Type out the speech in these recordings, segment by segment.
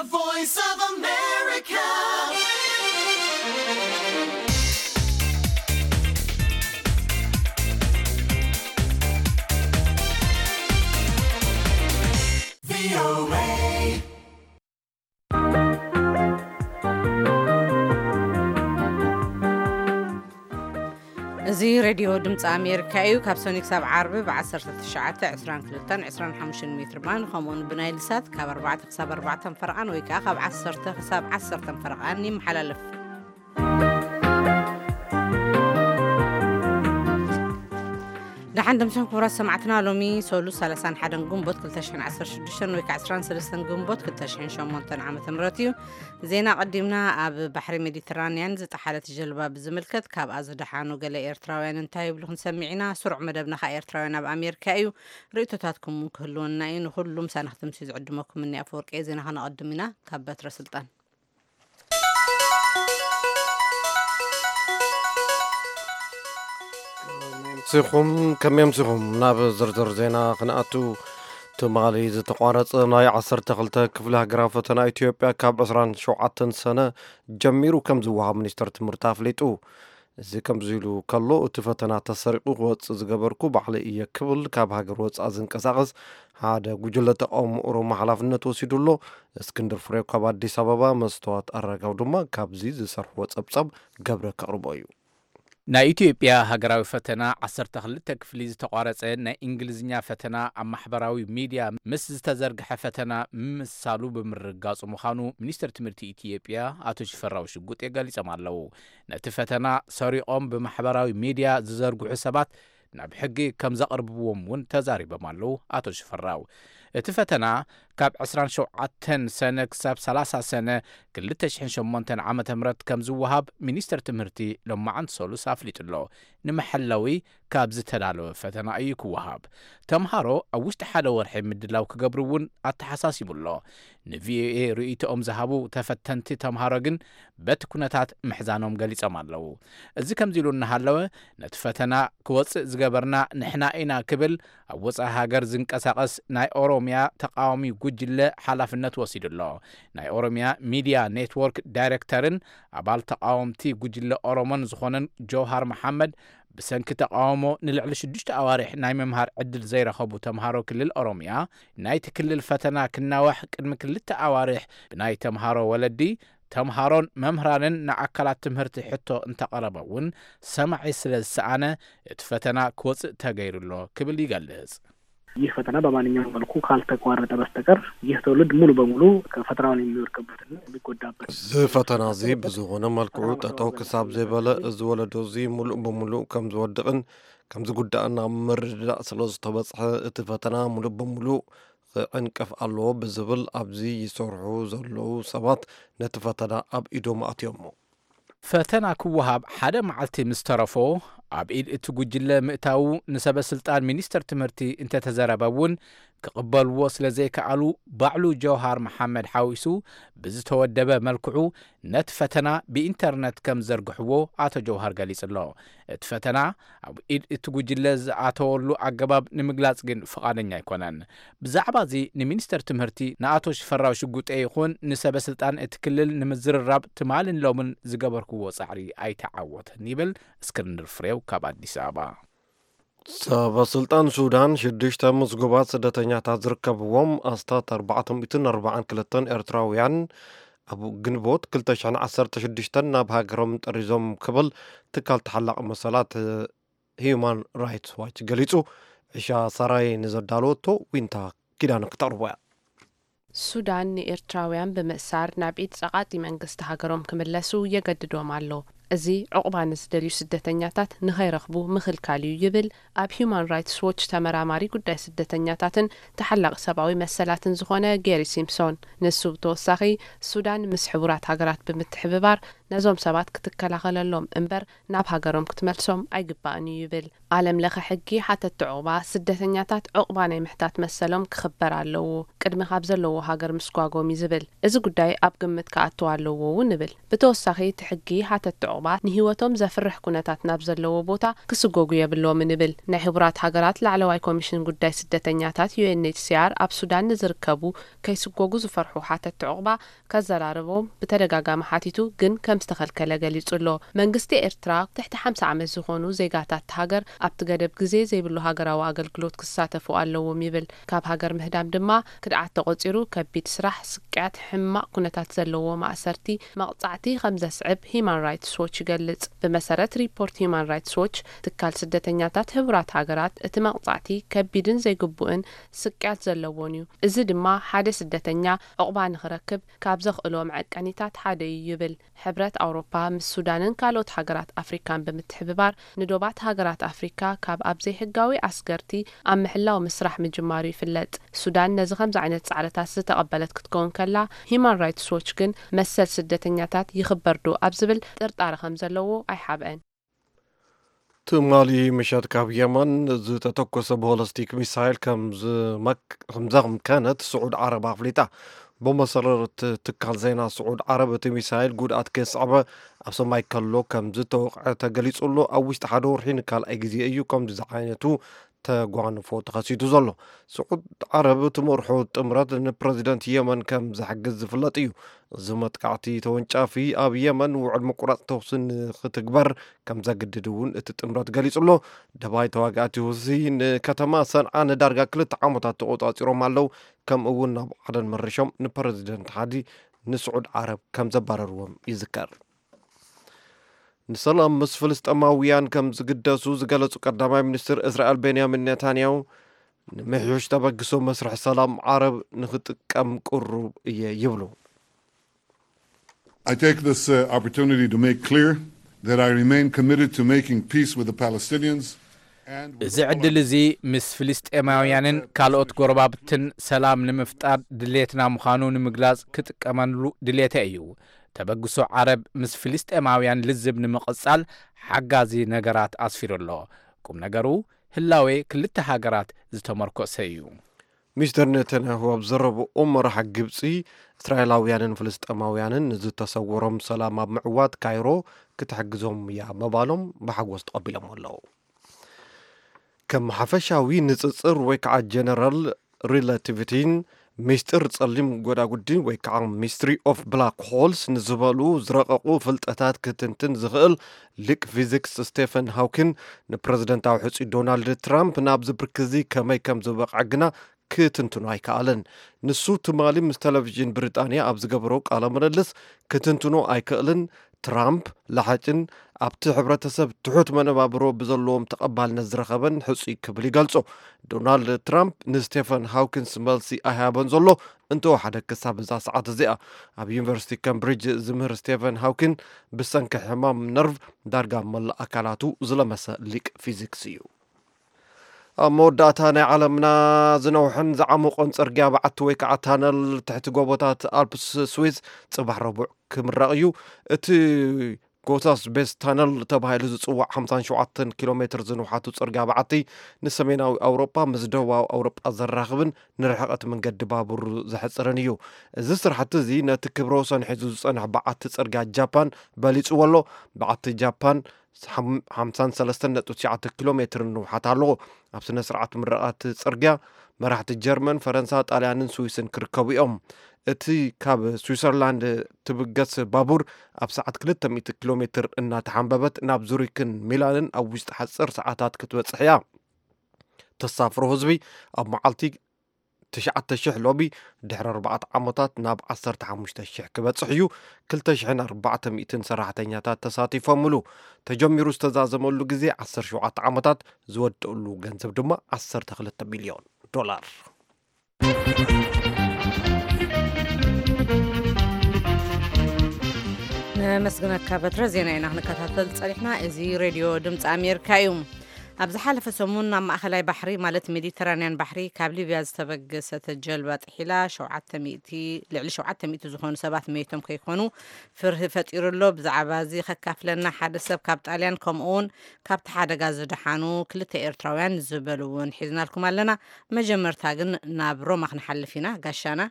Voice of America. V O A. እዚ ሬድዮ ድምፂ ኣሜሪካ እዩ። ካብ ሰኒ ክሳብ ዓርቢ ብ19፣ 22፣ 25 ሜትር ባንድ፣ ከምኡውን ብናይል ሳት ካብ ኣርባዕተ ክሳብ ኣርባዕተን ፈረቓን ወይ ከዓ ካብ ዓሰርተ ክሳብ ዓሰርተን ፈረቓን ይመሓላለፍ። ደሓን ደምሰን ክቡራት ሰማዕትና፣ ሎሚ ሰሉስ ሰላሳን ሓደን ግንቦት ክልተ ሽሕን ዓሰርተ ሽዱሽተን ወይ ከዓ ዕስራን ሰለስተን ግንቦት ክልተ ሽሕን ሸሞንተን ዓመተ ምህረት እዩ። ዜና ቀዲምና። ኣብ ባሕሪ ሜዲትራንያን ዝጠሓለት ጀልባ ብዝምልከት ካብኣ ዝደሓኑ ገለ ኤርትራውያን እንታይ ይብሉ ክንሰምዕ ኢና። ስሩዕ መደብና ከዓ ኤርትራውያን ኣብ ኣሜሪካ እዩ። ርእይቶታትኩም እውን ክህልወና እዩ። ንኩሉ ምሳና ክትምስዩ ዝዕድመኩም እኒ ኣፈወርቂ። ዜና ከነቐድም ኢና። ካብ በትረ ስልጣን። ሲኹም ከመይ ኣምሲኹም? ናብ ዝርዝር ዜና ክንኣቱ። ትማሊ ዝተቋረጸ ናይ ዓሰርተ ክልተ ክፍሊ ሃገራዊ ፈተና ኢትዮጵያ ካብ ዕስራን ሸውዓተን ሰነ ጀሚሩ ከም ዝወሃብ ሚኒስትር ትምህርቲ ኣፍሊጡ። እዚ ከምዚ ኢሉ ከሎ፣ እቲ ፈተና ተሰሪቑ ክወጽእ ዝገበርኩ ባዕለይ እየ ክብል ካብ ሃገር ወጻኢ ዝንቀሳቐስ ሓደ ጉጅለ ተቃውሞ ኦሮሞ ሓላፍነት ወሲዱ ኣሎ። እስክንድር ፍሬው ካብ ኣዲስ ኣበባ፣ መስተዋት ኣረጋው ድማ ካብዚ ዝሰርሕዎ ጸብጻብ ገብረ ከቕርቦ እዩ። ናይ ኢትዮጵያ ሃገራዊ ፈተና ዓሰርተ ክልተ ክፍሊ ዝተቋረጸ ናይ እንግሊዝኛ ፈተና ኣብ ማሕበራዊ ሚድያ ምስ ዝተዘርግሐ ፈተና ምምሳሉ ብምርግጋጹ ምዃኑ ሚኒስትር ትምህርቲ ኢትዮጵያ ኣቶ ሽፈራው ሽጉጤ ገሊጾም ኣለዉ። ነቲ ፈተና ሰሪቖም ብማሕበራዊ ሚድያ ዝዘርግሑ ሰባት ናብ ሕጊ ከም ዘቕርብዎም እውን ተዛሪቦም ኣለዉ ኣቶ ሽፈራው። እቲ ፈተና ካብ ዕስራን ሸውዓተን ሰነ ክሳብ ሰላሳ ሰነ ክልተ ሽሕን ሸሞንተን ዓመተ ምህረት ከም ዝወሃብ ሚኒስትር ትምህርቲ ሎማዓንቲ ሰሉስ ኣፍሊጡ ኣሎ። ንመሐለዊ ካብ ዝተዳለወ ፈተና እዩ ክወሃብ። ተምሃሮ ኣብ ውሽጢ ሓደ ወርሒ ምድላው ክገብሩ እውን ኣተሓሳሲቡ ኣሎ። ንቪኦኤ ርእይቶኦም ዝሃቡ ተፈተንቲ ተምሃሮ ግን በቲ ኩነታት ምሕዛኖም ገሊጾም ኣለዉ። እዚ ከምዚ ኢሉ እናሃለወ፣ ነቲ ፈተና ክወጽእ ዝገበርና ንሕና ኢና ክብል ኣብ ወጻኢ ሃገር ዝንቀሳቐስ ናይ ኦሮምያ ተቃዋሚ ጉጅለ ሓላፍነት ወሲዱ ኣሎ። ናይ ኦሮምያ ሚድያ ኔትወርክ ዳይሬክተርን ኣባል ተቃወምቲ ጉጅለ ኦሮሞን ዝኾነን ጀውሃር መሓመድ፣ ብሰንኪ ተቃውሞ ንልዕሊ ሽዱሽተ ኣዋርሕ ናይ ምምሃር ዕድል ዘይረኸቡ ተምሃሮ ክልል ኦሮምያ፣ ናይቲ ክልል ፈተና ክናዋሕ ቅድሚ ክልተ ኣዋርሕ ብናይ ተምሃሮ ወለዲ፣ ተምሃሮን መምህራንን ንኣካላት ትምህርቲ ሕቶ እንተቐረበ እውን ሰማዒ ስለ ዝሰኣነ፣ እቲ ፈተና ክወፅእ ተገይሩ ኣሎ ክብል ይገልጽ። ይህ ፈተና በማንኛውም መልኩ ካልተቋረጠ በስተቀር ይህ ትውልድ ሙሉ በሙሉ ፈተናውን የሚወድቅበትና የሚጎዳበት። እዚ ፈተና እዚ ብዝኾነ መልክዑ ጠጠው ክሳብ ዘይበለ፣ እዚ ወለዶ እዚ ሙሉእ ብሙሉእ ከም ዝወድቕን ከም ዝጉዳእን ኣብ ምርድዳእ ስለ ዝተበጽሐ፣ እቲ ፈተና ሙሉእ ብሙሉእ ክዕንቀፍ ኣለዎ ብዝብል ኣብዚ ይሰርሑ ዘለዉ ሰባት ነቲ ፈተና ኣብ ኢዶም ኣእትዮሞ። ፈተና ክወሃብ ሓደ መዓልቲ ምስ ተረፎ፣ ኣብ ኢድ እቲ ጉጅለ ምእታዉ ንሰበ ስልጣን ሚኒስተር ትምህርቲ እንተተዘረበ እውን ክቕበልዎ ስለ ዘይከኣሉ፣ ባዕሉ ጀውሃር መሓመድ ሓዊሱ ብዝተወደበ መልክዑ ነቲ ፈተና ብኢንተርነት ከም ዘርግሕዎ ኣቶ ጀውሃር ገሊጹ ኣሎ። እቲ ፈተና ኣብ ኢድ እቲ ጉጅለ ዝኣተወሉ ኣገባብ ንምግላጽ ግን ፍቓደኛ ኣይኮነን። ብዛዕባ እዚ ንሚኒስተር ትምህርቲ ንኣቶ ሽፈራው ሽጉጤ ይኹን ንሰበ ስልጣን እቲ ክልል ንምዝርራብ ትማልን ሎምን ዝገበርክዎ ጻዕሪ ኣይተዓወተን ይብል እስክንድር ፍሬው ካብ ኣዲስ ኣበባ። ሰበ ስልጣን ሱዳን ሽዱሽተ ምስጉባት ስደተኛታት ዝርከብዎም ኣስታት ኣርባዕተ ሚእትን ኣርባዓን ክልተን ኤርትራውያን ኣብ ግንቦት ክልተ ሽሕን ዓሰርተ ሽዱሽተን ናብ ሃገሮም ጠሪዞም ክብል ትካል ተሓላቒ መሰላት ሂዩማን ራይትስ ዋች ገሊጹ። ዕሻ ሰራይ ንዘዳለወቶ ዊንታ ኪዳነ ክተቕርቦ እያ። ሱዳን ንኤርትራውያን ብምእሳር ናብ ኢድ ጸቓጢ መንግስቲ ሃገሮም ክምለሱ የገድዶም ኣሎ። እዚ ዑቕባ ንዝደልዩ ስደተኛታት ንኸይረኽቡ ምኽልካል እዩ ይብል ኣብ ሂዩማን ራይትስ ዎች ተመራማሪ ጉዳይ ስደተኛታትን ተሓላቒ ሰብኣዊ መሰላትን ዝኾነ ጌሪ ሲምፕሶን። ንሱ ብተወሳኺ ሱዳን ምስ ሕቡራት ሃገራት ብምትሕብባር ነዞም ሰባት ክትከላኸለሎም እምበር ናብ ሃገሮም ክትመልሶም ኣይግባእን እዩ ይብል። ዓለም ለኸ ሕጊ ሓተቲ ዑቕባ ስደተኛታት ዑቕባ ናይ ምሕታት መሰሎም ክኽበር ኣለዎ። ቅድሚ ካብ ዘለዎ ሃገር ምስጓጎም እዩ ዝብል። እዚ ጉዳይ ኣብ ግምት ክኣትው ኣለዎ እውን ይብል። ብተወሳኺ እቲ ሕጊ ሓተቲ ዑቕባ ንህይወቶም ዘፍርሕ ኩነታት ናብ ዘለዎ ቦታ ክስጎጉ የብሎምን ይብል። ናይ ሕቡራት ሃገራት ላዕለዋይ ኮሚሽን ጉዳይ ስደተኛታት ዩ ኤን ኤች ሲ ኣር ኣብ ሱዳን ንዝርከቡ ከይስጎጉ ዝፈርሑ ሓተቲ ዑቕባ ከዘራርቦም ብተደጋጋሚ ሓቲቱ፣ ግን ከም ዝተኸልከለ ገሊጹ ኣሎ። መንግስቲ ኤርትራ ትሕቲ ሓምሳ ዓመት ዝኾኑ ዜጋታት ሃገር ኣብቲ ገደብ ግዜ ዘይብሉ ሃገራዊ ኣገልግሎት ክሳተፉ ኣለዎም ይብል። ካብ ሃገር ምህዳም ድማ ክድዓት ተቖጺሩ ከቢድ ስራሕ፣ ስቅያት፣ ሕማቕ ኩነታት ዘለዎ ማእሰርቲ፣ መቕጻዕቲ ከም ዘስዕብ ሂማን ራይትስ ዎች ይገልጽ። ብመሰረት ሪፖርት ሂማን ራይትስ ዎች፣ ትካል ስደተኛታት ሕቡራት ሃገራት እቲ መቕጻዕቲ ከቢድን ዘይግቡእን ስቅያት ዘለዎን እዩ። እዚ ድማ ሓደ ስደተኛ ዑቕባ ንኽረክብ ካብ ዘኽእሎ መዐቀኒታት ሓደ እዩ ይብል። ሕብረት ኣውሮፓ ምስ ሱዳንን ካልኦት ሃገራት ኣፍሪካን ብምትሕብባር ንዶባት ሃገራት ኣፍሪካ ካብ ኣብ ዘይሕጋዊ ኣስገርቲ ኣብ ምሕላው ምስራሕ ምጅማሩ ይፍለጥ። ሱዳን ነዚ ከምዚ ዓይነት ጻዕርታት ዝተቐበለት ክትከውን ከላ፣ ሂማን ራይትስ ዎች ግን መሰል ስደተኛታት ይኽበር ዶ ኣብ ዝብል ጥርጣረ ከም ዘለዎ ኣይሓብአን። ትማሊ ምሸት ካብ የመን ዝተተኮሰ ቦለስቲክ ሚሳይል ከም ዝመክ-፣ ከም ዘምከነት ስዑድ ዓረብ ኣፍሊጣ። ብመሰረት ትካል ዜና ስዑድ ዓረብ፣ እቲ ሚሳይል ጉድኣት ከየስዐበ ኣብ ሰማይ ከሎ ከም ዝተወቕዐ ተገሊጹ ኣሎ። ኣብ ውሽጢ ሓደ ወርሒ ንካልኣይ ግዜ እዩ ከምዚ ዝዓይነቱ ተጓንፎ ተኸሲቱ ዘሎ። ስዑድ ዓረብ ትመርሖ ጥምረት ንፕረዚደንት የመን ከም ዝሕግዝ ዝፍለጥ እዩ። እዚ መጥቃዕቲ ተወንጫፊ ኣብ የመን ውዕል ምቁራጽ ተኹሲ ንኽትግበር ከም ዘግድድ እውን እቲ ጥምረት ገሊጹ ኣሎ። ደባይ ተዋጋእቲ ሁሲ ንከተማ ሰንዓ ንዳርጋ ክልተ ዓመታት ተቖጻጺሮም ኣለዉ። ከምኡ እውን ናብ ዓደን መሪሾም ንፕረዚደንት ሓዲ ንስዑድ ዓረብ ከም ዘባረርዎም ይዝከር። ንሰላም ምስ ፍልስጤማውያን ከም ዝግደሱ ዝገለጹ ቀዳማይ ሚኒስትር እስራኤል ቤንያሚን ኔታንያሁ፣ ንምሕዮሽ ተበግሶ መስርሕ ሰላም ዓረብ ንኽጥቀም ቅሩብ እየ ይብሉ። I take this uh, opportunity to make clear that I remain committed to making peace with the Palestinians and with እዚ ዕድል እዚ ምስ ፍልስጤማውያንን ካልኦት ጎረባብትን ሰላም ንምፍጣር ድሌትና ምዃኑ ንምግላጽ ክጥቀመሉ ድሌተ እዩ። ተበግሶ ዓረብ ምስ ፍልስጤማውያን ልዝብ ንምቕጻል ሓጋዚ ነገራት ኣስፊሩ ኣሎ። ቁም ነገሩ ህላዌ ክልተ ሃገራት ዝተመርኮሰ እዩ። ሚስተር ኔታንያሁ ኣብ ዘረብኦም፣ መራሒ ግብጺ እስራኤላውያንን ፍልስጤማውያንን ንዝተሰወሮም ሰላም ኣብ ምዕዋት ካይሮ ክትሕግዞም እያ ምባሎም ብሓጎስ ተቐቢሎሞ ኣለዉ። ከም ሓፈሻዊ ንጽጽር ወይ ከዓ ጀነራል ሪላቲቪቲን ሚስጢር ጸሊም ጎዳጉዲ ወይ ከዓ ሚስትሪ ኦፍ ብላክ ሆልስ ንዝበሉ ዝረቐቑ ፍልጠታት ክትንትን ዝኽእል ሊቅ ፊዚክስ ስቴፈን ሃውኪን ንፕረዚደንታዊ ሕጹይ ዶናልድ ትራምፕ ናብዚ ብርኪ እዚ ከመይ ከም ዝበቕዐ ግና ክትንትኖ ኣይከኣለን። ንሱ ትማሊ ምስ ቴሌቪዥን ብሪጣንያ ኣብ ዝገበሮ ቃለ ምልልስ ክትንትኖ ኣይክእልን። ትራምፕ ለሓጭን ኣብቲ ሕብረተሰብ ትሑት መነባብሮ ብዘለዎም ተቐባልነት ዝረኸበን ሕጹይ ክብል ይገልጾ። ዶናልድ ትራምፕ ንስቴፈን ሃውኪንስ መልሲ ኣይሃበን ዘሎ እንተወሓደ ክሳብ እዛ ሰዓት እዚኣ። ኣብ ዩኒቨርሲቲ ካምብሪጅ ዝምህር ስቴፈን ሃውኪን ብሰንኪ ሕማም ነርቭ ዳርጋ መላእ ኣካላቱ ዝለመሰ ሊቅ ፊዚክስ እዩ። ኣብ መወዳእታ ናይ ዓለምና ዝነውሐን ዝዓመቖን ጽርግያ በዓቲ ወይ ከዓ ታነል ትሕቲ ጎቦታት ኣልፕስ ስዊዝ ጽባሕ ረቡዕ ክምረቕ እዩ። እቲ ጎታስ ቤስ ታነል ተባሂሉ ዝጽዋዕ ሓምሳን ሸውዓተን ኪሎ ሜትር ዝንውሓቱ ጽርግያ በዓቲ ንሰሜናዊ ኣውሮጳ ምስ ደቡባዊ ኣውሮጳ ዘራኽብን ንርሕቐት መንገዲ ባቡር ዘሕጽርን እዩ። እዚ ስራሕቲ እዚ ነቲ ክብረ ወሰን ሒዙ ዝጸንሕ በዓቲ ጽርግያ ጃፓን በሊጽዎ ኣሎ። በዓቲ ጃፓን ሓምሳን ሰለስተን ነጥቢ ትሽዓተ ኪሎ ሜትር ንውሓት ኣለዎ። ኣብ ስነ ስርዓት ምረቓ እቲ ጽርግያ መራሕቲ ጀርመን፣ ፈረንሳ፣ ጣልያንን ስዊስን ክርከቡ እዮም። እቲ ካብ ስዊሰርላንድ ትብገስ ባቡር ኣብ ሰዓት ክልተ ሚእቲ ኪሎ ሜትር እናተሓንበበት ናብ ዙሪክን ሚላንን ኣብ ውሽጢ ሓፂር ሰዓታት ክትበፅሕ እያ። ተሳፍሮ ህዝቢ ኣብ መዓልቲ ትሽዓተ ሽሕ ሎሚ ድሕሪ ኣርባዕተ ዓመታት ናብ ዓሰርተ ሓሙሽተ ሽሕ ክበጽሕ እዩ። ክልተ ሽሕን ኣርባዕተ ሚእትን ሰራሕተኛታት ተሳቲፎምሉ። ተጀሚሩ ዝተዛዘመሉ ግዜ ዓሰርተ ሸውዓተ ዓመታት፣ ዝወደእሉ ገንዘብ ድማ ዓሰርተ ክልተ ሚልዮን ዶላር። ነመስግነካ በትረ። ዜና ኢና ክንከታተል ጸኒሕና። እዚ ሬድዮ ድምፂ ኣሜሪካ እዩ። ኣብ ዝሓለፈ ሰሙን ናብ ማእኸላይ ባሕሪ፣ ማለት ሜዲተራንያን ባሕሪ፣ ካብ ሊብያ ዝተበገሰት ጀልባ ጥሒላ ሸውዓተ ሚእቲ፣ ልዕሊ ሸውዓተ ሚእቲ ዝኾኑ ሰባት መይቶም ከይኮኑ ፍርሂ ፈጢሩ ኣሎ። ብዛዕባ እዚ ከካፍለና ሓደ ሰብ ካብ ጣልያን፣ ከምኡ እውን ካብቲ ሓደጋ ዝደሓኑ ክልተ ኤርትራውያን ዝበሉ እውን ሒዝናልኩም ኣለና። መጀመርታ ግን ናብ ሮማ ክንሓልፍ ኢና። ጋሻና።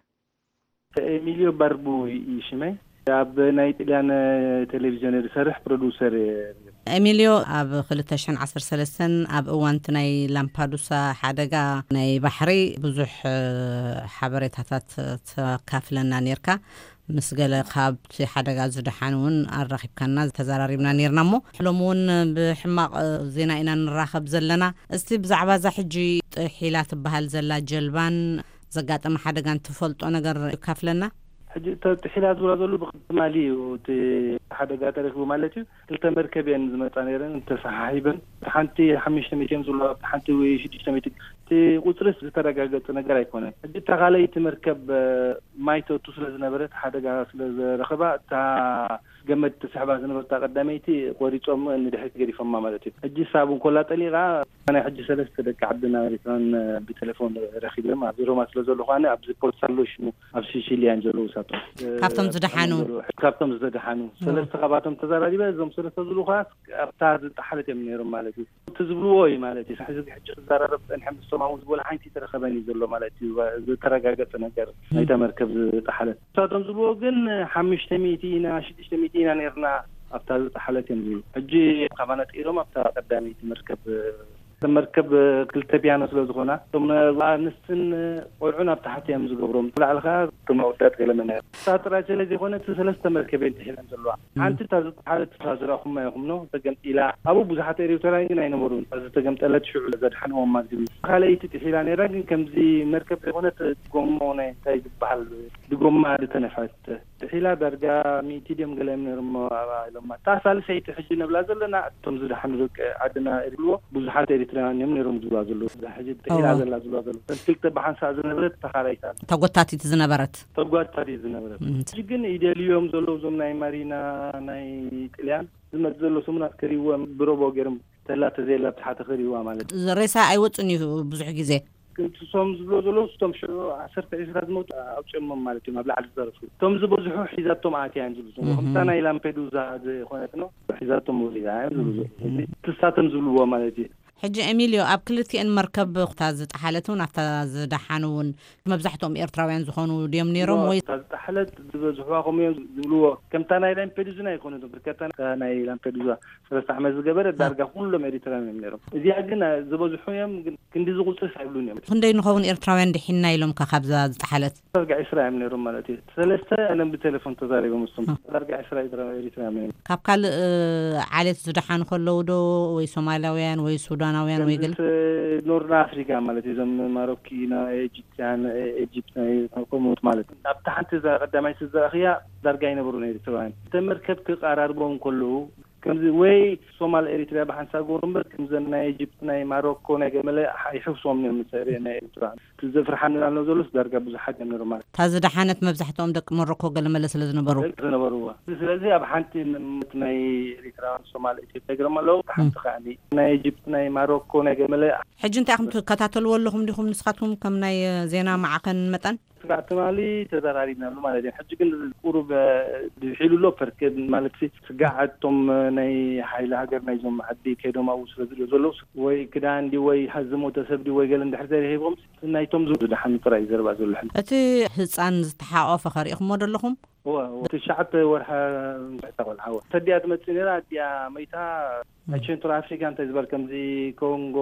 ኤሚልዮ ባርቡ እዩ ሽመይ። ኣብ ናይ ጥልያን ቴሌቪዥን ዝሰርሕ ፕሮዲውሰር እየ። ኤሚልዮ፣ ኣብ ክልተ ሽሕን ዓሰርተ ሰለስተን ኣብ እዋን እቲ ናይ ላምፓዱሳ ሓደጋ ናይ ባሕሪ ብዙሕ፣ እ፣ ሓበሬታታት ተካፍለና ኔርካ። ምስ ገለ ካብቲ ሓደጋ ዝደሓኑ እውን ኣራኺብካና፣ ተዘራሪብና ኔርና። እሞ ሎሚ እውን ብሕማቕ ዜና ኢና ንራኸብ ዘለና። እስቲ ብዛዕባ እዛ ሕጂ ጥሒላ ትበሃል ዘላ ጀልባን ዘጋጠመ ሓደጋን ትፈልጦ ነገር ካፍለና? ሕጂ እታ ጥሒላ ዝብላ ዘሎ ብትማሊ እዩ እቲ ሓደጋ ተረኪቡ ማለት እዩ። ክልተ መርከብ እየን ዝመጻ ነይረን ተሰሓሒበን። እታ ሓንቲ ሓሙሽተ ሚእቲ እዮም ዝብሉ፣ እታ ሓንቲ ወይ ሽዱሽተ ሚእቲ። እቲ ቁጽርስ ዝተረጋገጸ ነገር ኣይኮነን። ሕጂ እታ ካልኣይቲ መርከብ፣ እ፣ ማይ ተእቱ ስለ ዝነበረት፣ ሓደጋ ስለ ዘረኸባ፣ እታ ገመድ ትስሕባ ዝነበርታ ቀዳመይቲ ቆሪጾም ንድሕሪት ገዲፎማ ማለት እዩ። ሕጂ ሳብ እንኮላ ጠሊቓ፣ ናይ ሕጂ ሰለስተ ደቂ ዓድና ኤሪትራን ብቴሌፎን ረኺበ፣ ኣብዚ ሮማ ስለ ዘለኹ ኣነ፣ ኣብዚ ፖርት ሳሎሽ ኣብዚ ሲሲሊያን ዘለዉ ሳቶም። ካብቶም ዝደሓኑ? ካብቶም ዝደሓኑ። ኦ። ሰለስተ ካብኣቶም ተዛራሪበ፣ እዞም ሰለስተ ዝብሉ ከኣ ኣብታ ዝጠሓለት እዮም ነይሮም ማለት እዩ። እቲ ዝብልዎ እዩ ማለት እዩ። ሕዚ ሕጂ ክዘራረብ ጸኒሐ ምስቶም ኣብኡ ዝበሉ ሓንቲ ተረኸበኒ ዘሎ ማለት እዩ። ዝተረጋገጸ ነገር ናይታ መርከብ ዝጠሓለት። ንሳቶም ዝብልዎ ግን ሓሙሽተ ሚእቲ ኢና፣ ሽዱሽተ ሚእቲ ኢና ነይርና ኣብታ ዝጠሓለት እዮም ዝብሉ። ሕጂ ካባና ጥኢሎም ኣብታ ቀዳመይቲ መርከብ፣ መርከብ ክልተ ፒያኖ ስለ ዝኾና፣ እቶም ኣንስትን ቆልዑን ኣብ ታሕቲ እዮም ዝገብሮም። ብላዕሊ ኸዓ እቶም ኣወዳት ገለ መን እዮም። እታ ጥራይ ስለ ዘይኮነ፣ እቲ ሰለስተ መርከብ እየን ጥሒለን ዘለዋ። ሓንቲ እታ ዝጠሓለት፣ እታ ዝረኣኹማ ኢኹም ኖ፣ ተገምጢላ። ኣብኡ ብዙሓት ኤርትራውያን ግን ኣይነበሩን። እታ ዝተገምጠለት ሽዑ ዘድሓንዎም ማለት እዩ። ካልኣይቲ ጥሒላ ነይራ፣ ግን ከምዚ መርከብ ዘይኮነት፣ ጎሞ ናይ እንታይ ዝበሃል፣ ብጎማ ዝተነፍሐት ጥሒላ። ዳርጋ ሚእቲ ድዮም ገለ እዮም ነይሮም ኣብኣ ኢሎማ። እታ ሳልሰይቲ ሕጂ ነብላ ዘለና፣ እቶም ዝደሓኑ ደቂ ዓድና ይብልዎ፣ ብዙሓት ኤርትራውያን እዮም ነይሮም ዝብልዋ ዘለዉ። እዛ ሕጂ ጥሒላ እዋ። ዘላ ዝብልዋ ዘለዉ። እተን ክልተ ብሓንሳእ ዝነበረት እታ ካልኣይታ። ተጎታቲት ዝነበረት። ተጓታቲት ዝነበረት። እም። ሕጂ ግን ይደልዮም ዘለዉ እዞም ናይ ማሪና፣ ናይ ጥልያን፣ ዝመጽእ ዘሎ ሰሙናት ክሪእዎም ብሮቦ ገይሮም ተላ ተዘየላ ብታሕቲ ክሪእዋ ማለት እዩ። ሬሳ ኣይወጽን እዩ ብዙሕ ግዜ። ክንትሶም ዝብሎ ዘለዉ፣ እቶም ሽዑ ዓሰርተ ዒስራ ዝሞቱ ኣውጺኦሞም ማለት እዮም፣ ኣብ ላዕሊ ዝተረፉ። እቶም ዝበዝሑ ሒዛቶም ኣትያ እዮም ዝብሉ ዘለዉ። እህ። ከምታ ናይ ላምፔዱዛ ዝኾነት ነው፣ ሒዛቶም ወሪዳ እዮም ዝብሉ ዘለዉ። እህ። ሕጂ ትሳቶም ዝብልዎ ማለት እዩ። ሕጂ ኤሚልዮ፣ ኣብ ክልቲኤን መርከብ እታ ዝጠሓለት እውን ኣብታ ዝደሓኑ እውን መብዛሕትኦም ኤርትራውያን ዝኾኑ ድዮም ነይሮም እሞ ወይ? እታ ዝጠሓለት ዝበዝሕዋ ከምኡ እዮም ዝብልዎ። ከምታ ናይ ላምፔዱዛ ኣይኮነትን፣ ብርከታ ናይ ላምፔዱዛ ሰለስተ ዓመት ዝገበረ ዳርጋ ኩሎም ኤሪትራውያን እዮም ነይሮም። እዚኣ ግን ዝበዝሑ እዮም፣ ግን ክንዲ ዝቁጽርስ ኣይብሉን እዮም። ክንደይ ንኸውን ኤርትራውያን ድሒንና ኢሎምካ ካብዛ ዝጠሓለት? ዳርጋ ዒስራ እዮም ነይሮም ማለት እዩ። ሰለስተ ኣነ ብቴሌፎን ተዛሪቦም፣ ምስቶም እ። ዳርጋ ዒስራ ኤርትራውያን እዮም ነይሮም። ካብ ካልእ፣ እ፣ ዓሌት ዝደሓኑ ከለዉ ዶ ወይ ሶማላውያን ወይ ሱዳናውያን ወይ ገለ? ከምዚ ኖርና ኣፍሪካ ማለት እዩ። እዞም ማሮኪና፣ ኤጂፕትያን፣ ኤጂፕት ናይ ከምኡት ማለት እዩ። ኣብታ ሓንቲ እዛ ቀዳማይ ስድራ እኽያ ዳርጋ ኣይነበሩን ኤርትራውያን። እተን መርከብ ክቀራርቦም ከለዉ ከምዚ ወይ ሶማል ኤሪትሪያ ብሓንሳብ ገበሩ እምበር፣ ከምዘን ናይ ኤጂፕት፣ ናይ ማሮኮ፣ ናይ ገመለ ይሕውስዎም እዮም ምስ ኤሪ-፣ ናይ ኤርትራ። እቲ ዘፍርሓኒ ኣሎ ዘሎስ ዳርጋ ብዙሓት እዮም ነይሮም ማለት። እታ ዝደሓነት መብዛሕትኦም ደቂ ሞሮኮ ገለመለ ስለ ዝነበሩ። ደቂ ዝነበርዋ። ስለዚ ኣብ ሓንቲ ም-፣ ናይ ኤሪትራውያን ሶማል ኢትዮጵያ ገይሮም ኣለዉ። እታ ሓንቲ ከኣ ናይ ኤጂፕት፣ ናይ ማሮኮ፣ ናይ ገመለ። ሕጂ እንታይ ኢኹም ትከታተልዎ ኣለኹም ዲኹም ንስኻትኩም ከም ናይ ዜና ማዕኸን መጠን? ስጋዕ ትማሊ ተዘራሪብናሉ ማለት እዩ። ሕጂ ግን ቁሩብ፣ እ፣ ድሒሉ ኣሎ። ፐርኬ ማለት ሲ ስጋዕ እቶም፣ እ፣ ናይ ሓይሊ ሃገር ናይዞም ዓዲ ከይዶም ኣብኡ ስለ ዝሪኦ ዘለዉ ወይ ክዳን ድዩ ወይ ዝሞተ ሰብ ድዩ ወይ ገለ እንድሕር ዘይረኺቦም ናይቶም ዝደሓኑ ጥራይ እዩ ዘረባ ዘሎ ሕጂ። እቲ ህጻን ዝተሓቆፈ ከ ሪኢኹሞ ዶ ኣለኹም? እወ፣ እወ። ትሽዓተ ወርሒ ቆልዓ እወ። ተዲኣ ትመጽእ ነይራ፣ ኣዲኣ መይታ። ናይ ም። ሴንትራል ኣፍሪካ እንታይ ዝበሃል፣ ከምዚ ኮንጎ፣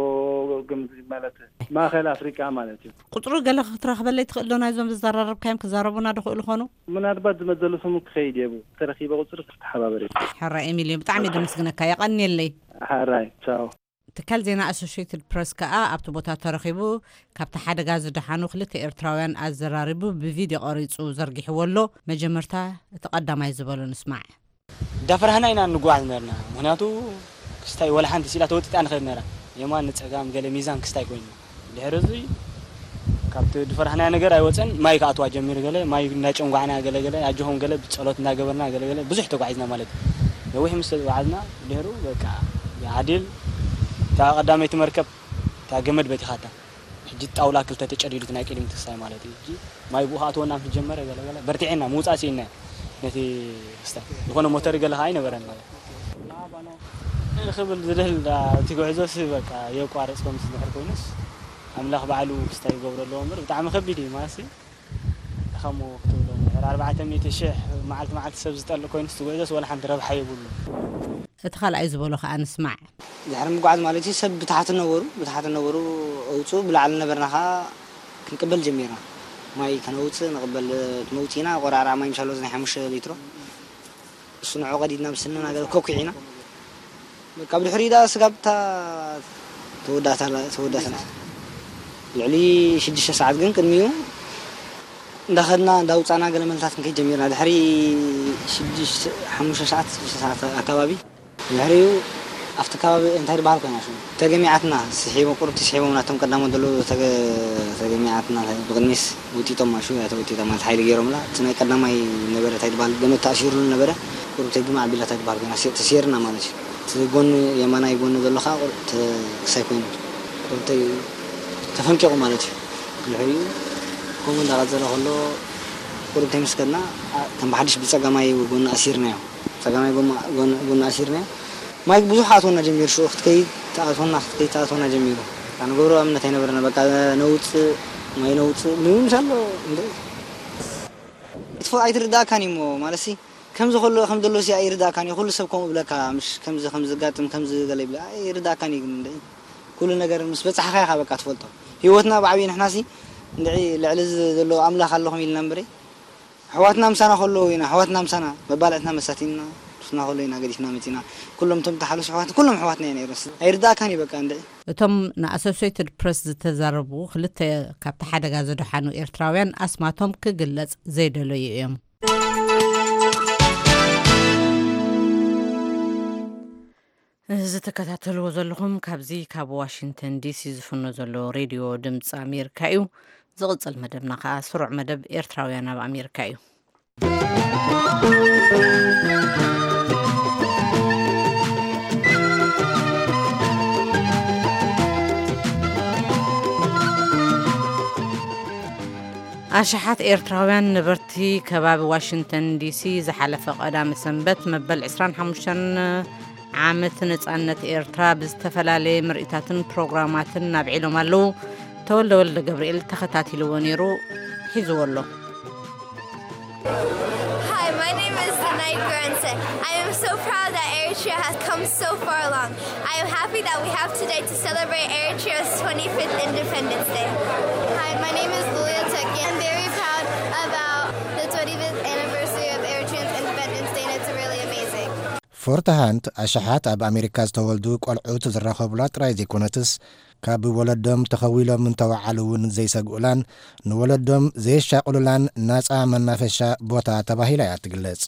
ከምዚ ማለት ማእኸል ኣፍሪቃ ማለት እዩ። ቁጽሩ ገለ ክትረኽበለይ ትኽእል ዶ? ናይዞም ዝዘራረብካዮም ክዛረቡና ዶ ክእሉ ኾኑ? ምናልባት ዝመዘሉ ስሙ ክኸይድ እየ፣ ተረኺበ ቁጽሪ ክተሓባበር እየ። ሕራይ ኤሚልዮ፣ ብጣዕሚ እየ ደመስግነካ፣ የቐንየለይ። ሕራይ፣ ቻው። ትካል ዜና ኣሶሽየትድ ፕረስ ከኣ ኣብቲ ቦታ ተረኺቡ ካብቲ ሓደጋ ዝደሓኑ ክልተ ኤርትራውያን ኣዘራሪቡ ብቪድዮ ቀሪጹ ዘርጊሕዎ ኣሎ። መጀመርታ እቲ ቀዳማይ ዝበሎ ንስማዕ። እንዳፈራህና ኢና እንጓዓዝ ነርና። ምኽንያቱ ክስታይ ወላ ሓንቲ ሲላ ተወጢጣ ንኸይድ ነራ። የማን ንጸጋም ገለ ሚዛን ክስታይ ኮይኑ። ድሕሪ እዚ ካብቲ ዝፈራህናዮ ነገር ኣይወጸን፣ ማይ ክኣትዋ ጀሚሩ። ገለ ማይ እንዳጨንጓዕና፣ ገለ ገለ ኣጆኹም፣ ገለ ብጸሎት እንዳገበርና፣ ገለ ገለ ብዙሕ ተጓዒዝና ማለት እዩ። ነዊሕ ምስ ተጓዓዝና ድሕሩ በቃ ዓዲል እቲ እታ ቀዳመይቲ መርከብ እታ ገመድ በቲኻታ። ሕጂ ጣውላ ክልተ ተጨዲዱ እቲ ናይ ቅድሚት ክስታይ ማለት እዩ። ሕጂ ማይ ብኡ ክኣትወና ምስ ጀመረ ገለ ገለ በርቲዕና ምውጻእ ስኢንና ነቲ ክስታይ። ዝኾነ ሞተር ገለ ከዓ ኣይነበረን ማለት እዩ። ክብል ዝደል እቲ ጉዕዞስ በቃ የቋረጽ ከም ዝድሕር ኮይኑስ ኣምላኽ ባዕሉ ክስታይ ይገብሮ ኣለዎ እምበር ብጣዕሚ ከቢድ እዩ ማለት እዩ። ድኻሞ ክትብሎ እንድሕር ኣርባዕተ ሚእቲ ሽሕ መዓልቲ መዓልቲ ሰብ ዝጠልእ ኮይኑስ እቲ ጉዕዞስ ወላ ሓንቲ ረብሓ የብሉ። እቲ ካልኣይ ዝበሎ ከዓ ንስማዕ። ድሕሪ ምጉዓዝ ማለት እዩ ሰብ ብታሕቲ ነበሩ ብታሕቲ ነበሩ ኣውፅኡ ብላዕሊ ነበርና ከዓ ክንቅበል ጀሚርና። ማይ ከነውፅእ ንቕበል መውፅኢና ቆራዕራ ማይ ምሻሎ ናይ ሓሙሽተ ሊትሮ እሱ ንዑ ቀዲድና ብስንና ገለ ኮኪዕ ኢና። በቃ ብድሕሪኡ ደኣ ስጋብ እታ ተወዳእታ ተወዳእታ ልዕሊ ሽዱሽተ ሰዓት ግን ቅድሚኡ እንዳኸድና እንዳውፃና ገለ መልታት ክንከይድ ጀሚርና። ድሕሪ ሽዱሽተ ሓሙሽተ ሰዓት ሽዱሽተ ሰዓት ኣካባቢ ድሕሪኡ ኣብቲ ከባቢ እንታይ ዝበሃል ኮይና ሽሙ ተገሚዓትና ስሒቦም ቁሩብ ትስሒቦም ናቶም ቀዳሞት ዘለዉ ተገ- ተገሚዓትና ብቕድሚስ ውጢጦም ማሹ እያ ተወጢጣ ማለት ሓይሊ ገይሮምላ እቲ ናይ ቀዳማይ ነበረ እንታይ ዝበሃል ገመድ ተኣሲሩሉ ነበረ ቁሩብ ተግማዕ ኣቢላ እንታይ ዝበሃል ኮይና ሴ- ተሴርና ማለት እዩ እቲ ጎኒ የማናይ ጎኒ ዘሎ ከዓ ቁሩብ ተ- ክሳይ ኮይኑ ቁሩብ ተ- ተፈንቂቑ ማለት እዩ ድሕሪኡ ከምኡ እንዳቐፀለ ከሎ ቁሩብ ተይምስከድና ከም ብሓድሽ ብፀጋማይ ጎኒ ኣሲርናዮ ፀጋማይ ጎማ- ጎኒ ጎኒ ኣሲርናዮ ማይ ብዙሕ ኣትወና ጀሚሩ ሽዑ ክትከይድ ተኣትወና ክትከይድ ተኣትወና ጀሚሩ ንገብሮ እምነት ኣይነበረና በቃ ነውፅእ ማይ ነውፅእ ምንም ኣሎ እንደ ክትፎ ኣይትርዳእካን እዩ እሞ ማለት ሲ ከምዚ ከሎ ከም ዘሎ ሲ ኣይርዳእካን እዩ ኩሉ ሰብ ከምኡ ብለካ ምሽ ከምዚ ከም ዝጋጥም ከምዚ ገለ ይብለ ኣይርዳእካን እዩ ግን እንደ ኩሉ ነገር ምስ በፃሕካ ኢኻ በቃ ትፈልጦ ህይወትና ብዓብዪ ንሕና ሲ እንድዒ ልዕሊ እዚ ዘሎ ኣምላኽ ኣለኹም ኢልና እምበረይ ኣሕዋትና ምሳና ከለዉ ኢና ኣሕዋትና ምሳና መባልዕትና መሳቲና ሱና ከሎ ኢና ገዲፍና መፂና ኩሎም እቶም ተሓለሱ ኣሕዋት ኩሎም ኣሕዋትና ኢና ይረስ ኣይርዳእካን እዩ በቃ እንድዒ እቶም ንኣሶሴትድ ፕረስ ዝተዛረቡ ክልተ ካብቲ ሓደጋ ዝደሓኑ ኤርትራውያን ኣስማቶም ክግለጽ ዘይደለዩ እዮም። እዚ ትከታተልዎ ዘለኹም ካብዚ ካብ ዋሽንግተን ዲሲ ዝፍኖ ዘሎ ሬድዮ ድምፂ ኣሜሪካ እዩ። ዝቕጽል መደብና ከዓ ስሩዕ መደብ ኤርትራውያን ኣብ ኣሜሪካ እዩ። ኣሽሓት ኤርትራውያን ነበርቲ ከባቢ ዋሽንግተን ዲሲ ዝሓለፈ ቀዳመ ሰንበት መበል ዕስራን ሓሙሽተን ዓመት ነጻነት ኤርትራ ብዝተፈላለየ ምርኢታትን ፕሮግራማትን ኣብዒሎም ኣለዉ። ተወልደ ወልደ ገብርኤል ተኸታቲልዎ ነይሩ፣ ሒዝዎ ኣሎ። Hi, my name is Danai Gurense. I am so proud that Eritrea has come so far along. I am happy that we have today to celebrate Eritrea's twenty-fifth Independence Day. Hi, my name is Lulia Teki. I'm very proud about the twenty-fifth anniversary of Eritrea's Independence Day, and it's really amazing. ፎርት ሃንት ኣሽሓት ኣብ ኣሜሪካ ዝተወልዱ ቆልዑት ዝራኸቡላ ጥራይ ዘይኮነትስ ካብ ወለዶም ተኸዊሎም እንተወዓሉ እውን ዘይሰግኡላን ንወለዶም ዘየሻቕሉላን ናጻ መናፈሻ ቦታ ተባሂላ እያ ትግለጽ።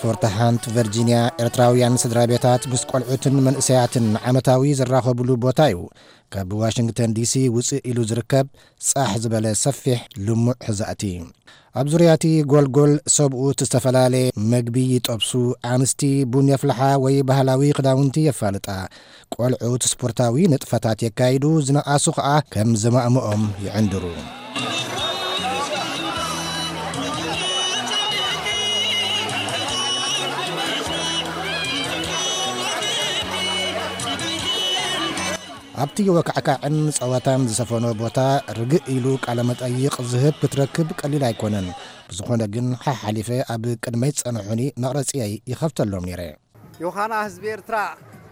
ፎርት ሃንት ቨርጂንያ ኤርትራውያን ስድራ ቤታት ምስ ቆልዑትን መንእሰያትን ዓመታዊ ዝራኸቡሉ ቦታ እዩ። ካብ ዋሽንግተን ዲሲ ውፅእ ኢሉ ዝርከብ ፃሕ ዝበለ ሰፊሕ ልሙዕ ሕዛእቲ ኣብ ዙርያ እቲ ጎልጎል ሰብኡት ዝተፈላለየ መግቢ ይጠብሱ ኣንስቲ ቡን የፍልሓ ወይ ባህላዊ ክዳውንቲ የፋልጣ ቆልዑት ስፖርታዊ ንጥፈታት የካይዱ ዝነኣሱ ከዓ ከም ዘማእምኦም ይዕንድሩ ኣብቲ ወካዕካዕን ጸወታን ዝሰፈኖ ቦታ ርግእ ኢሉ ቃለ መጠይቕ ዝህብ ክትረክብ ቀሊል ኣይኮነን። ብዝኾነ ግን ሓሓሊፈ ኣብ ቅድመይ ዝጸንሑኒ መቕረጺየይ ይኸፍተሎም ነይረ። ዮሃና ህዝቢ ኤርትራ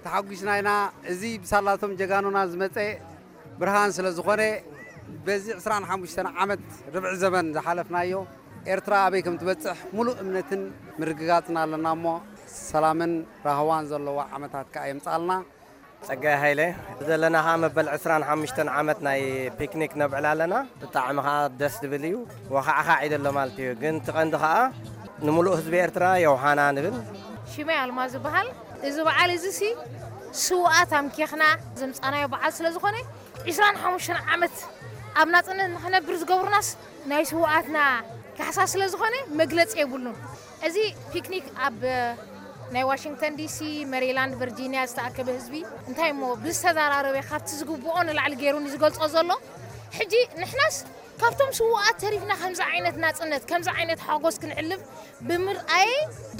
ተሓጒስና ኢና። እዚ ብሳላቶም ጀጋኑና ዝመጸ ብርሃን ስለ ዝኾነ በዚ ዕስራን ሓሙሽተን ዓመት ርብዒ ዘመን ዝሓለፍናዮ ኤርትራ ኣበይ ከም ትበጽሕ ሙሉእ እምነትን ምርግጋጽን ኣለና እሞ ሰላምን ራህዋን ዘለዎ ዓመታት ከኣ የምጽኣልና። ጸጋይ ሃይለ ዘለና ኸዓ መበል ዕስራን ሓሙሽተን ዓመት ናይ ፒክኒክ ነብዕል ኣለና። ብጣዕሚ ኸዓ ደስ ዝብል እዩ። ወኻዕኻዕ እዩ ዘሎ ማለት እዩ። ግን እቲ ቀንዲ ኸዓ ንምሉእ ህዝቢ ኤርትራ ዮሃና ንብል። ሽመይ ኣልማዝ ዝበሃል። እዚ በዓል እዚ ሲ ስውኣት ኣምኪኽና ዘምጻናዮ በዓል ስለ ዝኾነ ዕስራን ሓሙሽተን ዓመት ኣብ ናጽነት ንኽነብር ዝገብሩናስ ናይ ስውኣትና ካሕሳ ስለ ዝኾነ መግለፂ የብሉን። እዚ ፒክኒክ ኣብ ናይ ዋሽንግተን ዲሲ፣ ሜሪላንድ፣ ቨርጂኒያ ዝተኣከበ ህዝቢ እንታይ እሞ ብዝተዘራረበ ካብቲ ዝግብኦ ንላዕሊ ገይሩን ዝገልጾ ዘሎ። ሕጂ ንሕናስ ካብቶም ስውኣት ተሪፍና ከምዚ ዓይነት ናጽነት፣ ከምዚ ዓይነት ሓጎስ ክንዕልብ ብምርኣየ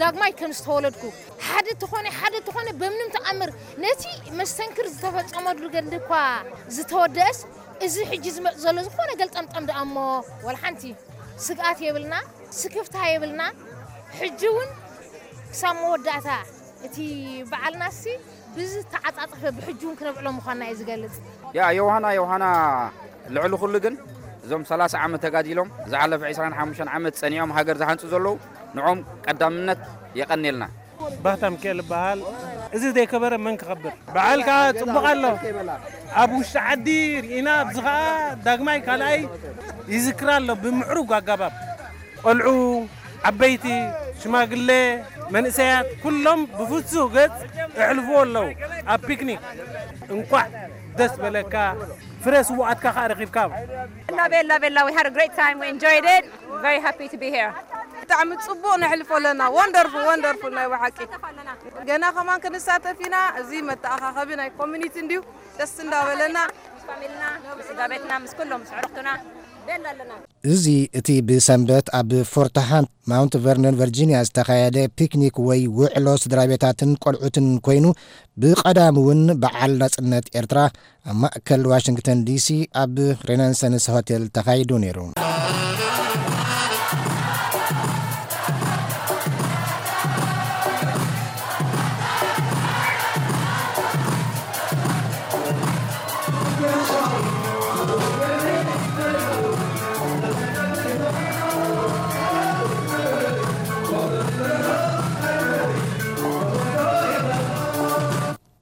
ዳግማይ ከም ዝተወለድኩ፣ ሓደ ተኾነ ሓደ ተኾነ በምንም ተኣምር ነቲ መስተንክር ዝተፈጸመሉ ገድሊ እኳ ዝተወደአስ፣ እዚ ሕጂ ዝመጽእ ዘሎ ዝኾነ ገልጠምጠም ደኣ እሞ ወላ ሓንቲ ስግኣት የብልና፣ ስክፍታ የብልና። ሕጂ እውን ክሳብ መወዳእታ እቲ በዓልናሲ ብዝተዓጻጸፈ ብሕጂ እውን ክነብዕሎ ምዃንና እዩ ዝገልጽ። ያ ዮሃና፣ ዮሃና፣ ልዕሊ ኩሉ ግን እዞም ሰላሳ ዓመት ተጋዲሎም ዝሓለፈ ዕስራን ሓሙሽተን ዓመት ጸኒዖም ሃገር ዝሃንጹ ዘለዉ ንዖም ቀዳምነት የቐንየልና። ባህታ ሚካኤል ይበሃል። እዚ ዘይከበረ መን ክኸብር? በዓል ከዓ ጽቡቕ ኣሎ። ኣብ ውሽጢ ዓዲ ርኢና፣ ኣብዚ ከዓ ዳግማይ ካልኣይ ይዝክር ኣሎ ብምዕሩግ ኣገባብ። ቆልዑ፣ ዓበይቲ፣ ሽማግለ፣ መንእሰያት ኩሎም ብፍጹህ ገጽ የሕልፍዎ ኣለዉ። ኣብ ፒክኒክ እንኳዕ ደስ በለካ፣ ፍረ ስውኣትካ ከዓ ረኺብካ። Love it, love it, love it. We had a great time. We enjoyed it. Very happy to be here. ብጣዕሚ ጽቡቕ ነሕልፎ ኣለና። ወንደርፉል፣ ወንደርፉል ናይ ብሓቂ። ገና ከማን ክንሳተፍ ኢና። እዚ መተኣኻኸቢ ናይ ኮሚኒቲ እንድዩ። ደስ እንዳበለና። ምስ ፋሚልና፣ ምስ ስድራ ቤትና፣ ምስ ኩሎም፣ ምስ ኣዕሩኽትና። ቤላ ኣለና። እዚ እቲ ብሰንበት ኣብ ፎርትሃንት ማውንት ቨርነን ቨርጂኒያ ዝተኻየደ ፒክኒክ ወይ ውዕሎ ስድራ ቤታትን ቆልዑትን ኮይኑ፣ ብቐዳም እውን በዓል ናጽነት ኤርትራ ኣብ ማእከል ዋሽንግተን ዲሲ ኣብ ሬናንሰንስ ሆቴል ተኻይዱ ነይሩ።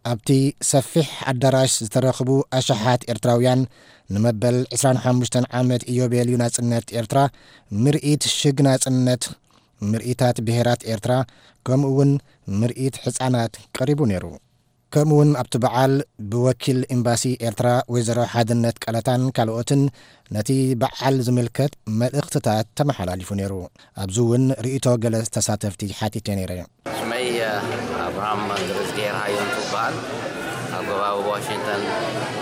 ኣብቲ ሰፊሕ ኣዳራሽ ዝተረኽቡ ኣሽሓት ኤርትራውያን ንመበል ዕስራን ሓሙሽተን ዓመት ኢዮቤልዩ ናጽነት ኤርትራ፣ ምርኢት ሽግ ናጽነት፣ ምርኢታት ብሄራት ኤርትራ፣ ከምኡ እውን ምርኢት ሕጻናት ቀሪቡ ነይሩ። ከምኡ እውን ኣብቲ በዓል ብወኪል ኤምባሲ ኤርትራ ወይዘሮ ሓድነት ቀለታን ካልኦትን ነቲ በዓል ዝምልከት መልእኽትታት ተመሓላሊፉ ነይሩ። ኣብዚ እውን ርእይቶ ገለ ተሳተፍቲ ሓቲተ ነይረ። ሽመይ ኣብርሃም ግርዝጌር ሃየንቱ እበሃል። ኣብ ከባቢ ዋሽንግተን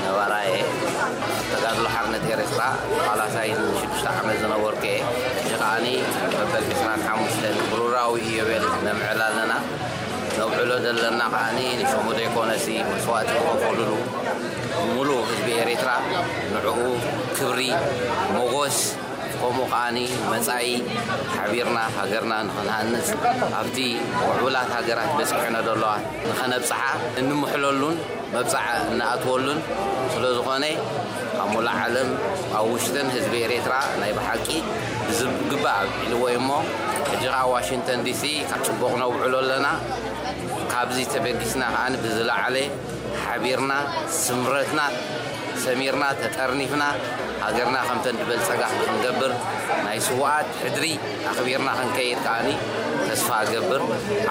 ነባራ እየ። ኣብ ተጋድሎ ሓርነት ኤርትራ ተቓላሳይ ንሽዱሽተ ዓመት ዝነበርኩ እየ። ሕጂ ከዓኒ መበል ዕስራን ሓሙሽተን ብሩራዊ ኢዮቤል ነምዕል ኣለና። ነውዕሎ ዘለና ከዓኒ ንሽሙ ዘይኮነሲ መስዋእቲ ዝኸፈሉሉ ሙሉእ ህዝቢ ኤርትራ ንዕኡ ክብሪ፣ ሞጎስ፣ ከምኡ ከዓኒ መጻኢ ሓቢርና ሃገርና ንኽንሃንጽ ኣብቲ ምዕቡላት ሃገራት በጺሐን ዘለዋ ንኸነብጽሓ እንምሕለሉን መብጻዓ እንኣትወሉን ስለ ዝኾነ ኣብ ሙሉእ ዓለም ኣብ ውሽጥን ህዝቢ ኤርትራ ናይ ብሓቂ ብዝግባእ ኣብዒልዎ እዩ እሞ ሕጂ ከኣ ዋሽንግተን ዲሲ ካብ ጽቡቕ ነውዕሎ ኣለና። ካብዚ ተበጊስና ከኣ ብዝለዓለ ሓቢርና ስምረትና ሰሚርና ተጠርኒፍና ሃገርና ከምተን ዝበልጸጋ ክንገብር ናይ ስውኣት ሕድሪ ኣኽቢርና ክንከይድ ከኣኒ ተስፋ እገብር።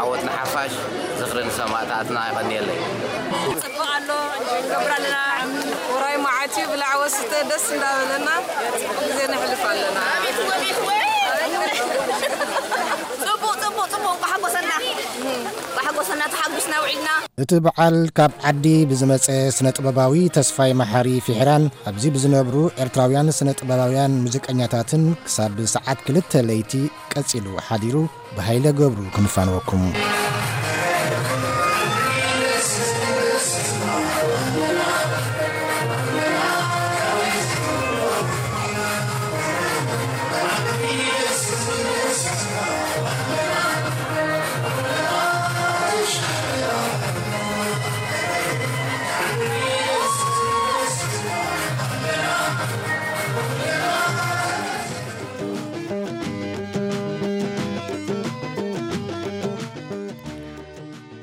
ዓወት ንሓፋሽ፣ ዝኽሪ ንሰማእታትና። የቐንየለይ። ጽቡቕ ኣሎ፣ እንጆይ ንገብር ኣለና። ውራይ መዓት እዩ፣ ብላዕ ወስተ ደስ እንዳበለና ጽቡቕ ግዜ ነሕልፍ ኣለና። ጽቡቕ፣ ጽቡቕ፣ ጽቡቕ። እንቋዕ ሓጎሰና። እንቋዕ ሓጎሰና፣ ተሓጒስና ውዒልና። እቲ በዓል ካብ ዓዲ ብዝመጸ ስነ ጥበባዊ ተስፋይ መሓሪ ፊሕራን ኣብዚ ብዝነብሩ ኤርትራውያን ስነ ጥበባውያን ሙዚቀኛታትን ክሳብ ሰዓት ክልተ ለይቲ ቀጺሉ ሓዲሩ። ብሃይለ ገብሩ ክንፋንወኩም።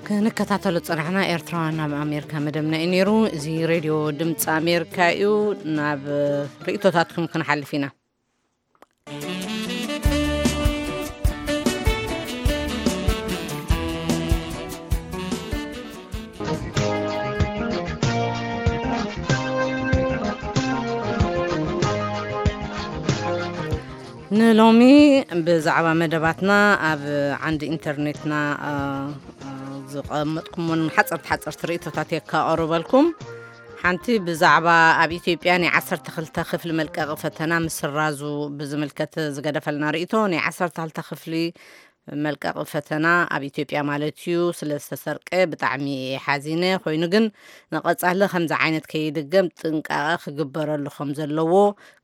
ክንከታተሎ ዝጸናሕና ኤርትራውያን ኣብ ኣሜሪካ መደብና እዩ ነይሩ። እዚ ሬድዮ ድምፂ ኣሜሪካ እዩ። ናብ ርእቶታትኩም ክንሓልፍ ኢና። ንሎሚ ብዛዕባ መደባትና ኣብ ዓንዲ ኢንተርኔትና፣ እ፣ እ፣ ዝቐመጥኩሞን ሓጸርቲ ሓጸርቲ ርእይቶታት የካቐርበልኩም። ሓንቲ ብዛዕባ ኣብ ኢትዮጵያ ናይ ዓሰርተ ክልተ ክፍሊ መልቀቂ ፈተና ምስራዙ ብዝምልከት ዝገደፈልና ርእይቶ፣ ናይ ዓሰርተ ክልተ ክፍሊ መልቀቂ ፈተና ኣብ ኢትዮጵያ ማለት እዩ ስለ ዝተሰርቀ ብጣዕሚ እየ ሓዚነ። ኮይኑ ግን ንቐጻሊ ከምዚ ዓይነት ከይድገም ጥንቃቐ ክግበረሉ ከም ዘለዎ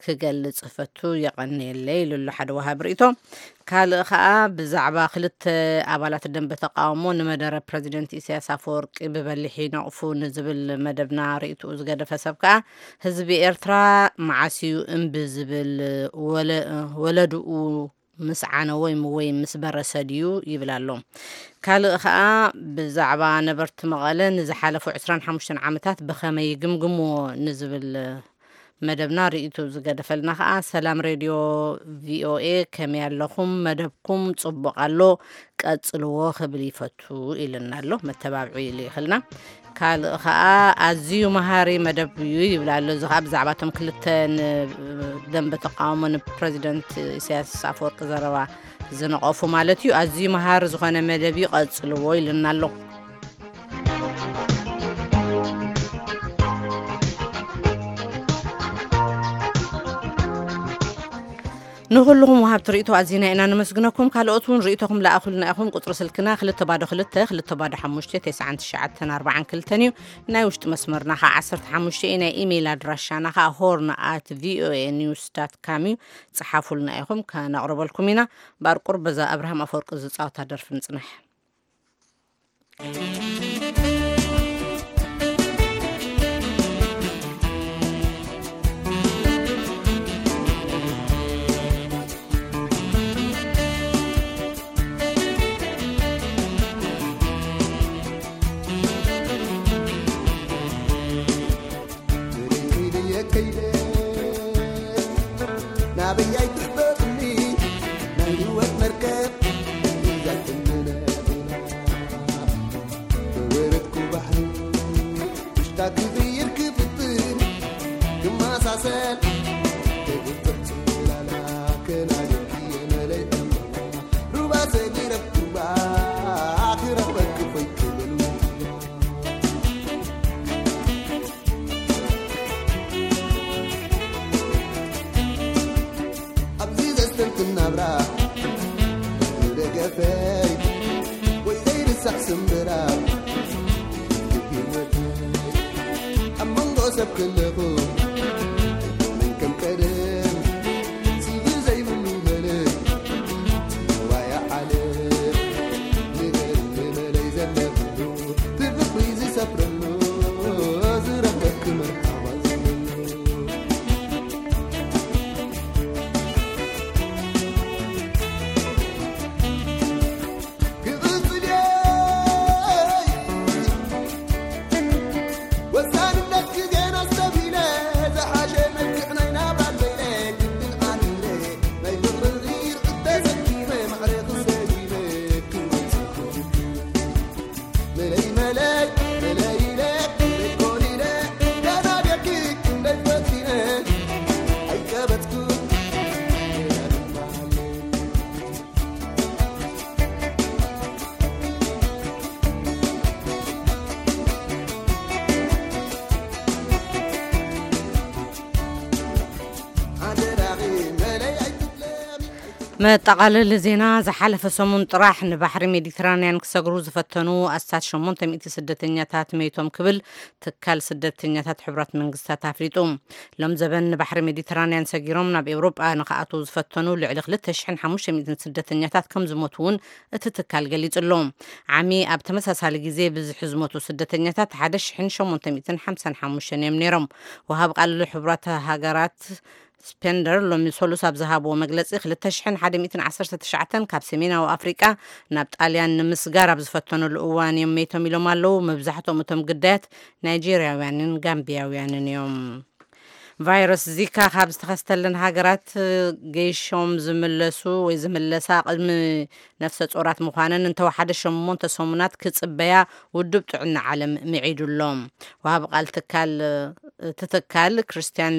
ክገልጽ እፈቱ። የቐንየለይ ኢሉ ኣሎ ሓደ ወሃቢ ርእይቶ። ካልእ ኸኣ ብዛዕባ ክልተ ኣባላት ደንበ ተቃውሞ ንመደረ ፕረዚደንት ኢሳያስ ኣፈወርቂ ብበሊሕ ይነቕፉ ንዝብል መደብና ርእይትኡ ዝገደፈ ሰብ ከኣ ህዝቢ ኤርትራ መዓስ እዩ እምቢ ዝብል? ወለ-፣ ወለድኡ ምስ ዓነወ ወይ ምስ በረሰ ድዩ ይብል ኣሎ። ካልእ ኸኣ ብዛዕባ ነበርቲ መቐለ ንዝሓለፉ ዕስራን ሓሙሽተን ዓመታት ብኸመይ ይግምግምዎ ንዝብል መደብና ርእይቱ ዝገደፈልና ኸኣ ሰላም ሬድዮ ቪ ኦ ኤ ከመይ ኣለኹም? መደብኩም ጽቡቕ ኣሎ፣ ቀጽልዎ ክብል ይፈቱ ኢልና ኣሎ። መተባብዒ ኢሉ ይኽልና። ካልእ ኸኣ ኣዝዩ መሃሪ መደብ እዩ ይብል ኣሎ። እዚ ኸኣ ብዛዕባ እቶም ክልተ ንደንበ ተቃውሞ ንፕረዚደንት ኢሳያስ ኣፈወርቂ ዘረባ ዝነቐፉ ማለት እዩ። ኣዝዩ መሃሪ ዝኾነ መደብ እዩ፣ ቀጽልዎ ኢሉና ኣሎ። ንኹልኹም ወሃብቲ ርእይቶ ኣዚና ኢና ነመስግነኩም። ካልኦት እውን ርእይቶኹም ለኣኹልና ኢኹም። ቁጽሪ ስልክና ክልተ ባዶ ክልተ፣ ክልተ ባዶ ሓሙሽተ፣ ተስዓን ትሽዓተን ኣርባዓን ክልተን እዩ። ናይ ውሽጢ መስመርና ኸዓ ዓሰርተ ሓሙሽተ እዩ። ናይ ኢሜይል ኣድራሻና ኸዓ ሆርን ኣት ቪ ኦ ኤ ኒውስ ዳት ካም እዩ። ጽሓፉልና ኢኹም፣ ከነቕርበልኩም ኢና። ባርቁር በዛ ኣብርሃም ኣፈወርቂ ዝጻወታ ደርፊ ንጽንሕ። ናበይ ኣይትሕበጥኒ ናይ ህይወት መርከብ ሒዛትኒ ነቢና ተወረድኩ ባሕሪ ውሽጣ ክቕይር ክፍትን ክመሳሰል ክግብር ጽላላ ከናድርኪ የመለይ ዕምባ ሩባ ሰጊረኩባ ክረኽበኪ ኮይክብል ኣብዚ ዘስተንትን ናብራ ደገፈይ ወይ ዘይርሳዕ ስምብራ ህይወት ኣብ መንጎ ሰብ ከለኹ መን ከም ቀደም ስግር ዘይብሉ መለይ ዋያ ዓለም ንበል ንበለይ ዘለኽሉ ትፍቕሪ ዝሰፍረሉ ዝረኽበኪ መርሓባ ዝብለሉ ክቕጽል እየ ወሳንነት ግዜና ኣስተብሂለ ዝሓሸ መልክዕ ናይ ናብራ ዘይለ ግድን ኣሚረ ናይ ፍቕሪ ሪር እተሰኪመ ማዕረ ክሰሊመ ክወጽእ መለይ መለይ መለይ ኢለ ደይኮን ኢለ ተናዲርኪ ክንደይ ፈቲነ ኣይቀበጽኩ መጠቓለሊ ዜና። ዝሓለፈ ሰሙን ጥራሕ ንባሕሪ ሜዲትራንያን ክሰግሩ ዝፈተኑ ኣስታት ሸሞንተ ሚእቲ ስደተኛታት መይቶም ክብል ትካል ስደተኛታት ሕቡራት መንግስታት ኣፍሊጡ። ሎም ዘበን ንባሕሪ ሜዲትራንያን ሰጊሮም ናብ ኤውሮጳ ንክኣትዉ ዝፈተኑ ልዕሊ ክልተ ሽሕን ሓሙሽተ ሚእትን ስደተኛታት ከም ዝሞቱ እውን እቲ ትካል ገሊጹ ኣሎ። ዓሚ ኣብ ተመሳሳሊ ግዜ ብዝሒ ዝሞቱ ስደተኛታት ሓደ ሽሕን ሸሞንተ ሚእትን ሓምሳን ሓሙሽተን እዮም ነይሮም። ወሃብ ቃል ሕቡራት ሃገራት ስፔንደር ሎሚ ሰሉስ ኣብ ዝሃብዎ መግለጺ ክልተ ሽሕን ሓደ ሚእትን ዓሰርተ ትሽዓተን ካብ ሰሜናዊ ኣፍሪቃ ናብ ጣልያን ንምስጋር ኣብ ዝፈተኑሉ እዋን እዮም መይቶም ኢሎም ኣለዉ። መብዛሕትኦም እቶም ግዳያት ናይጄርያውያንን ጋምቢያውያንን እዮም። ቫይረስ ዚካ ካብ ዝተኸስተለን ሃገራት ገይሾም ዝምለሱ ወይ ዝምለሳ ቅድሚ ነፍሰ ጾራት ምዃነን እንተወሓደ ሸሞንተ ሰሙናት ክጽበያ ውድብ ጥዕና ዓለም ምዒዱ ኣሎ። ወሃቢ ቃል ትካል እቲ ትካል ክርስቲያን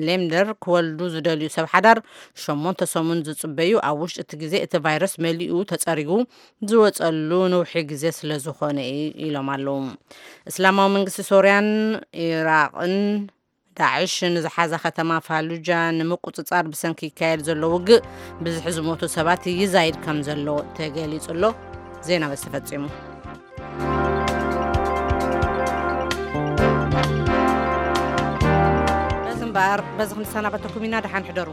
ሌምደር ክወልዱ ዝደልዩ ሰብ ሓዳር ሸሞንተ ሰሙን ዝጽበዩ፣ ኣብ ውሽጢ እቲ ግዜ እቲ ቫይረስ መሊኡ ተጸሪጉ ዝወጸሉ ነውሒ ግዜ ስለ ዝኾነ እዩ ኢሎም ኣለዉ። እስላማዊ መንግስቲ ሶርያን ኢራቕን ዳዕሽ ንዝሓዛ ከተማ ፋሉጃ ንምቁጽጻር ብሰንኪ ይካየድ ዘሎ ውግእ ብዝሒ ዝሞቱ ሰባት ይዛይድ ከም ዘሎ ተገሊጹ ኣሎ። ዜና በዚ ተፈጺሙ። በዚ እምበኣር በዚ ክንሰናበተኩም ኢና። ደሓን ሕደሩ።